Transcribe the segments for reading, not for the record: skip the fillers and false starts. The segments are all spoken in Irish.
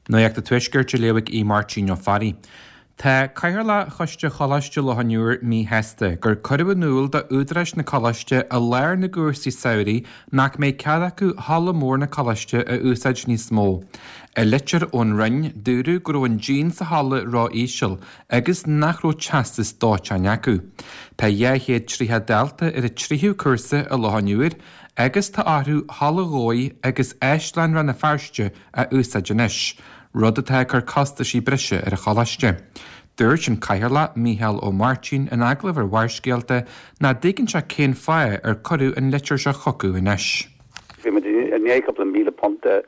Nuacht an Tuaiscirt á léamh ag Aodh Máirtín Ó Fearraigh. Tá Cathaoirleach Choiste Choláiste Loch an Iúir míshásta gur cuireadh in iúl do údaráis na coláiste i lár na gcúrsaí samhraidh nach mbeidh cead acu halla mór na coláiste a úsáid níos mó. I litir ón Roinn, dúradh go raibh an díon sa halla ró-íseal agus nach raibh teastas dóiteáin acu. Tá 230 dalta ar an tríú cúrsa i Loch an Iúir agus tá orthu Halla Dhomhaigh agus Áislann Rann na Feirste a úsáid anois, rud atá ag cur costaisí breise ar an choláiste. Dúirt an Cathaoirleach, Mícheál Ó Máirtín, in agallamh ar Bharrscéalta nach dtuigeann sé cén fáth ar cuireadh an litir seo chucu anois. Bhí muid i ndiaidh cúpla £1,000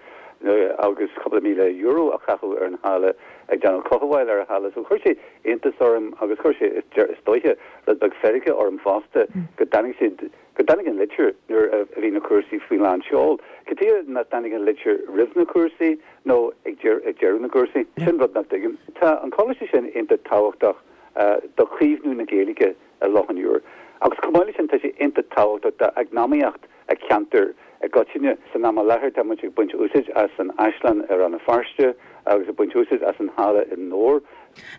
agus cúpla €1,000 a chaitheamh ar an halla ag déanamh cothabháil ar an halla so chuir sé iontas orm agus chuir sé is dóiche rud beag feirge orm fosta go dtáinig siad go dtáinig an litir nuair a bhí na cúrsaí faoi lán seol. Cad chuige nach dtáinig an litir roimh na cúrsaí nó ag deireadh na gcúrsaí? Sin rud nach dtuigim. Tá an coláiste sin iontach tábhachtach do chaomhnú na Gaeilge i Loch an Iúir agus chomh maith leis sin tá sé iontach tábhachtach d'eacnamaíocht an cheantair i gcoitinne. San am i láthair tá muid ag baint úsáid as an Áislann i Rann na Feirste agus ag baint úsáid as an halla i nDobhar.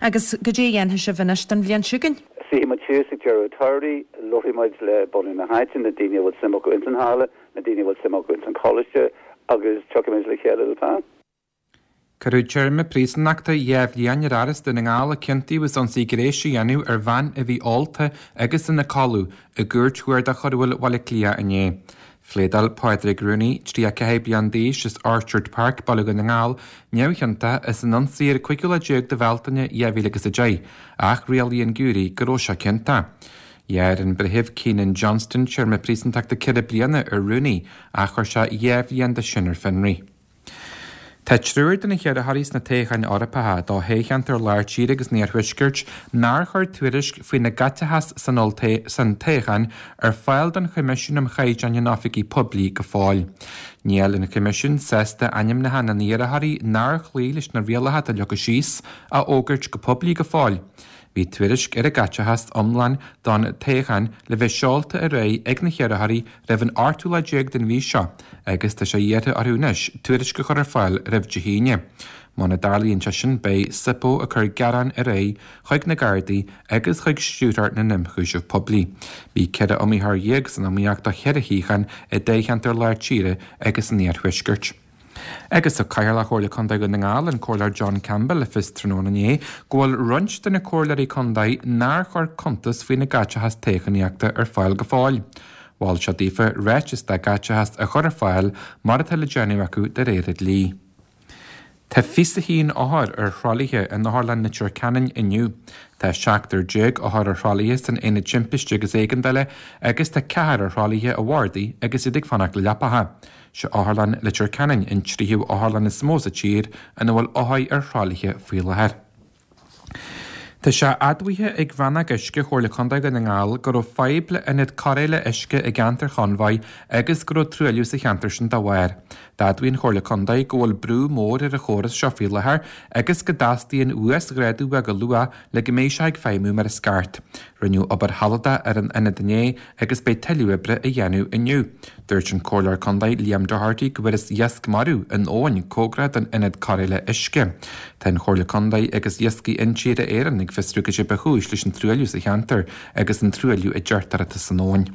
Agus goidé a dhéanfaidh sibh anois don bhliain seo chugainn? Suífidh muid síos ag deireadh an tsamhraidh, labharfaidh muid le bunadh na háite, na daoine a bhfuil suim acu ins an halla, na daoine a bhfuil suim acu ins an choláiste agus tiocfaidh muid le chéile le plean. Cuireadh téarma príosúnachta 2 bhliain ar fhear as Dún na nGall a ciontaíodh as ionsaí gnéis a dhéanamh ar bhean a bhí ólta agus ina codladh i gCúirt Chuarda Choiriúil Bhaile Átha Cliath inné. Phléadáil Pádraig Rooney, 34 bliain d'aois, as Orchard Park, Baile Dhún na nGall, neamhchiontach as an ionsaí ar an 15ú lá de Bhealtaine 2010, ach rialaigh an giúiré go raibh sé ciontach. Ghearr an Breitheamh Keenan Johnston téarma príosúntachta 4 bliana ar Rooney ach chuir sé 2 bhliain de sin ar fionraí. Tá triúr de na hiarrthóirí sna toghcháin Eorpacha do thoghcheantar Lár Tíre agus an Iarthuaiscirt nár chuir tuairisc faoina gcaiteachas san san toghchán ar fáil don Choimisiún um Chaighdeáin in Oifigí Poiblí go fóill. Níl an Coimisiún sásta ainmneacha na n-iarrthóirí nár chloígh leis na rialacha atá leagtha síos a fhógairt go poiblí go fóill. Bhí tuairisc ar a gcaiteachas iomlán don toghchán le bheith seolta ar aghaidh ag na hiarrthóirí roimh an ochtú lá déag den mhí seo agus tá sé iarrtha orthu anois tuairisc a chur ar fáil roimh Dé hAoine. Muna dtarlaíonn sé sin beidh SIPO ag cur gearán ar aghaidh chuig na Gardaí agus chuig Stiúrthóir na nIomchúiseamh Poiblí. Bhí 14 iomaitheoir san iomaíocht do cheithre shuíochán i dtoghcheantar Lár Tíre agus an Iarthuaiscirt. Agus thug Cathaoirleach Chomhairle Contae Dhún na nGall, an Comhairleoir John Campbell, le fios tráthnóna inné go bhfuil roinnt de na comhairleoirí contae nár chuir cuntas faoina gcaiteachas toghchánaíochta ar fáil go fóill. Mhol sé daofa ráiteas dá gcaiteachas a chur ar fáil mar atá le déanamh acu de réir an dlí. Tá 21 othar ar thralaithe in Otharlann Leitir Ceanainn inniu. Tá seachtar déag othar ar thralaithe san Aonad Timpiste agus Éigeandála agus tá ceathrar ar thralaithe i bhardaí agus iad ag fanacht le leapacha. Sé Otharlann Leitir Ceanainn an tríú otharlann is mó sa tír ina bhfuil othair ar thralaithe faoi láthair. Tá sé admhaithe ag Rannóg Uisce Chomhairle Contae Dhún na nGall go raibh fadhb le ionad cóireála uisce i gceantar Chonbhaigh agus go raibh truailliú sa cheantar sin dá bharr. D'admhaigh an Chomhairle Contae go bhfuil brú mór ar an chóras seo faoi láthair agus go dteastaíonn uasghrádú uaidh go luath le go mbeidh sé ag feidhmiú mar is ceart. Rinneadh obair shealadach ar an ionad inné agus beidh tuilleadh oibre á dhéanamh inniu. Dúirt an Comhairleoir Contae Liam Doherty go bhfuarthas iasc marbh in abhainn cóngarach don ionad cóireála uisce. Tá an Chomhairle Contae agus Iascaigh Intíre Éireann ag fiosrú cad é ba chúis leis an truailliú sa cheantar agus an truailliú a deirtear atá san abhainn.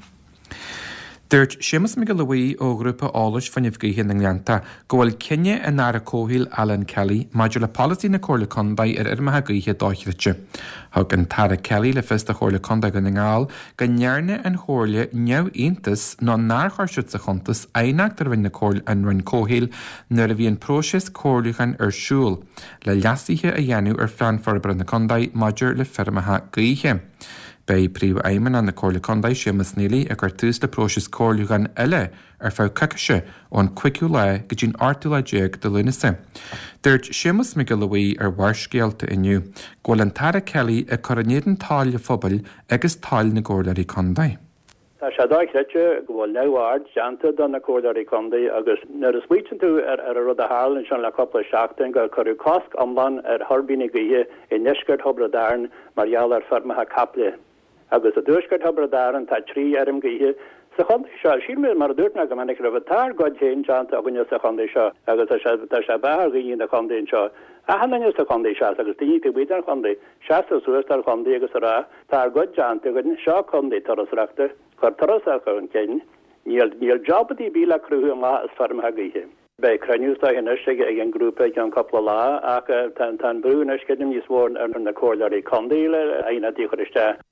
Dúirt Séamus Mac Giolla Bhuí ó Ghrúpa Eolais Fuinneamh Gaoithe na nGleannta go bhfuil cinneadh an Aire Comhshaoil Alan Kelly maidir le polasaí na Comhairle Contae ar fheirmeacha gaoithe dochreidte. Thug an tAire Kelly le fios do Chomhairle Contae Dhún na nGall go ndearna an Chomhairle neamhiontas nó nár chuir siad sa chuntas aighneacht a rinne an Roinn Comhshaoil nuair a bhí an próiseas comhairliúcháin ar siúl le leasuithe a dhéanamh ar Phlean Forbartha na Contae maidir le feirmeacha gaoithe. Beidh Príomhfheidhmeannach na Comhairle Contae, Séamus Neely, ag cur tús le próiseas comhairliúcháin eile ar feadh coicíse ón 5ú lá go dtí'n 8ú lá de Lúnasa. Dúirt Séamus Mac Giolla Bhuí ar Bharrscéalta inniu go bhfuil an tAire Kelly ag cur in éadan toil an phobail agus toil na gComhairleoirí Contae. Tá sé dochreidte go bhfuil neamhaird déanta do na Comhairleoirí Contae agus nuair a smaoitíonn tú ar an rud a tharla ansin le cúpla seachtain gur cuireadh cosc iomlán ar thuirbíní gaoithe i ndeisceart Thiobraid Árann mar gheall ar feirmeacha caiple. Agus i dtuaisceart Thiobraid Árann tá 3 fheirm gaoithe. Sa chontae seo, sílim, mar a dúirt mé go minic roimhe, tá ár gcuid féin déanta againne sa chontae seo agus tá sé, tá sé beatha ar dhaoine na contae anseo, achan duine sa chontae seasamh agus daoine taobh amuigh den chontae, seasamh suas don chontae agus a rá, tá ár gcuid déanta againn, seo contae turasóireachta, cuir turasóireacht chun cinn, níl, níl job ar bith le cruthú amach as feirmeacha gaoithe. Beidh cruinniú is dóiche anois ag an ngrúpa i gceann cúpla lá ach tá an brú anois, creidim, níos mó ar na comhairleoirí contae le aighneachtaí a chur isteach.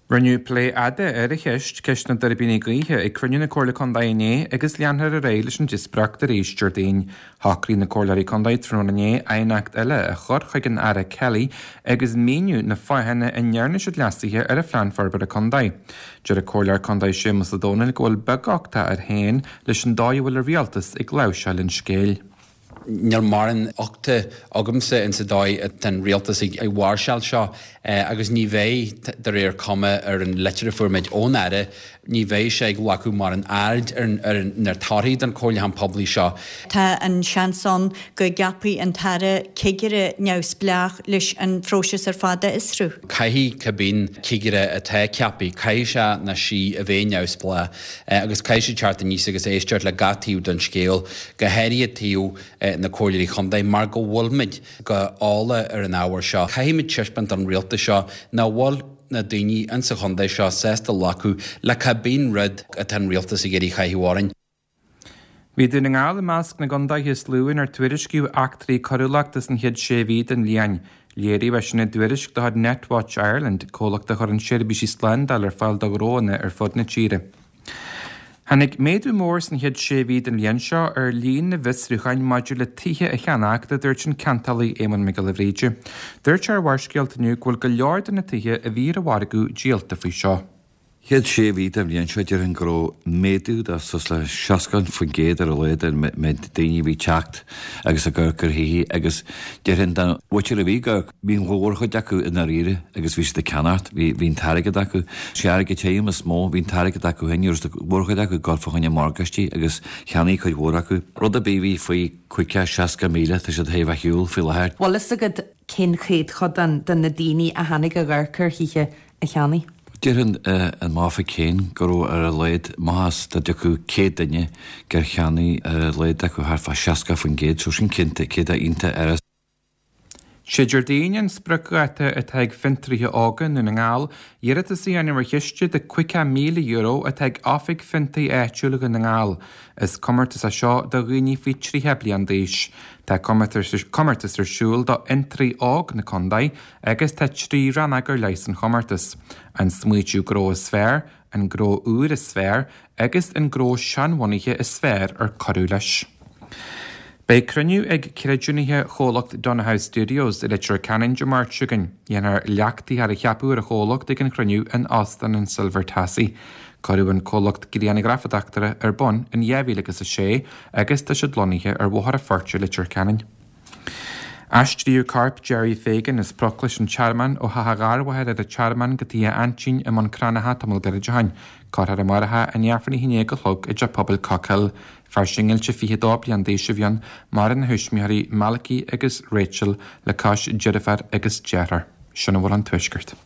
Rinneadh plé fhada ar an cheist, ceist na dtuirbíní gaoithe, ag cruinniú na Comhairle Contae inné agus leanfar ar aghaidh leis an díospóireacht arís Déardaoin. Shocraigh na Comhairleoirí Contae tráthnóna inné aighneacht eile a chur chuig an Aire Kelly agus míniú na fáthanna a ndearna siad leasuithe ar an Phlean Forbartha Contae. Deir an Comhairleoir Contae Séamus Ó Domhnaill go bhfuil beaguchtach air féin leis an dóigh a bhfuil an Rialtas ag láimhseáil an scéil. Níl mórán uchta agamsa insa dóigh atá an rialtas ag máirseáil seo agus ní bheidh, de réir cuma ar an litir a fuair muid ón Aire, ní bheidh sé ag glacadh mórán aird ar na torthaí den chomhairliúchán poiblí seo. Tá an seans ann go gceapfaidh an tAire cigire neamhspleách leis an phróiseas ar fad a fhiosrú. Caithfidh cibé cigire atá ceaptha, caithfidh sé nó sí a bheith neamhspleách agus caithfidh sé teacht aníos agus éisteacht le gach taobh den scéal, go háirithe taobh na Comhairleoirí Chontae, mar go bhfuilmid go eolach ar an ábhar seo. Caithfimid taispeáint don rialtas seo nach bhfuil na daoine insa chontae seo sásta glacadh le cibé rud atá an rialtas ag iarraidh a chaitheamh orainn. Bhí Dún na nGall i measc na gcontaetha is lú inar tuairiscíodh eachtraí coiriúlachta san chéad sé mhí den bhliain. Léiríodh é sin i dtuairisc de chuid Netwatch Ireland, comhlacht a chuireann seirbhísí slándála ar fáil do ghnóanna ar fud na tíre. Tháinig méadú mór san chéad sé mhí den bhliain seo ar líon na bhfiosrúcháin maidir le tithe a cheannacht, a dúirt an ceantálaí Éamonn Mac Giolla Bhríde. Dúirt sé ar Bharrscéalta inniu go bhfuil go leor de na tithe a bhí ar an mhargadh díolta faoi seo. Chéad sé mhí den bhliain seo, déarfainn go raibh méadú de suas le 60% ar a laghad ar an méid daoine a bhí ag teacht agus ag amharc ar thithe agus déarfainn den mhuintir a bhí ag amharc, bhí an mhórchuid acu i ndáiríre agus bhí siad ag ceannacht, bhí, bhí an t-airgead acu. Sé airgead tirim is mó, bhí an t-airgead acu féin, ní raibh an mhórchuid acu ag dul fá choinne morgáistí agus cheannaigh cuid mhór acu. Rud ar bith a bhí faoi 50, 60 míle, tá siad ar a shiúl faoi láthair. Bhfuil fhios agat cén chéadchodán de na daoine a tháinig ag amharc ar thithe a cheannaigh. Déarfainn i m'oifig féin go raibh ar a laghad, maitheas dá dtiocfadh 100 duine gur cheannaigh ar a laghad acu thart fá 60%, so sin cinnte, céad iontach ar. Sé Déardaoin an spriocdháta atá ag Fiontraithe Óga Dhún na nGall iarratas a dhéanamh ar chiste de €50,000 atá ag Oifig Fiontair Áitiúil Dhún na nGall. Is comórtas é seo do dhaoine faoi 30 bliain d'aois. Tá comórtas ar siúl do fhiontraí óg na contae agus tá 3 rannóg ar leith san chomórtas, an smaoitiú gnó is fearr, an gnó úr is fearr agus an gnó seanbhunaithe is fearr ar cuireadh leis. Beidh cruinniú ag creidiúnaithe chomhlacht Donohoe Studios i Leitir Ceanainn Dé Máirt seo chugainn. Dhéanfar leachtaítheoir a cheapadh ar an chomhlacht ag an chruinniú in Óstán an Silver Tassie. Cuireadh an comhlacht grianghrafadóireachta ar bun in 2006 agus tá siad lonnaithe ar Bhóthar an Phoirt i Leitir Ceanainn. Aistríodh corp Gerry Fagan as Proclais an Tearmainn ó theach a gharmháthar ar an Tearmann go tigh a aintín i mBun Cranncha tamall gairid ó shin. Cuirfear amárach é i ndiaidh Aifreann a haon déag a chlog i dTeach Pobail Cockhill. Fear singilte 22 bliain d'aois a bhí ann, maireann a thuismitheoirí Malachy agus Rachel le cois deirféar agus deartháir. Sin a bhfuil ón Tuaisceart.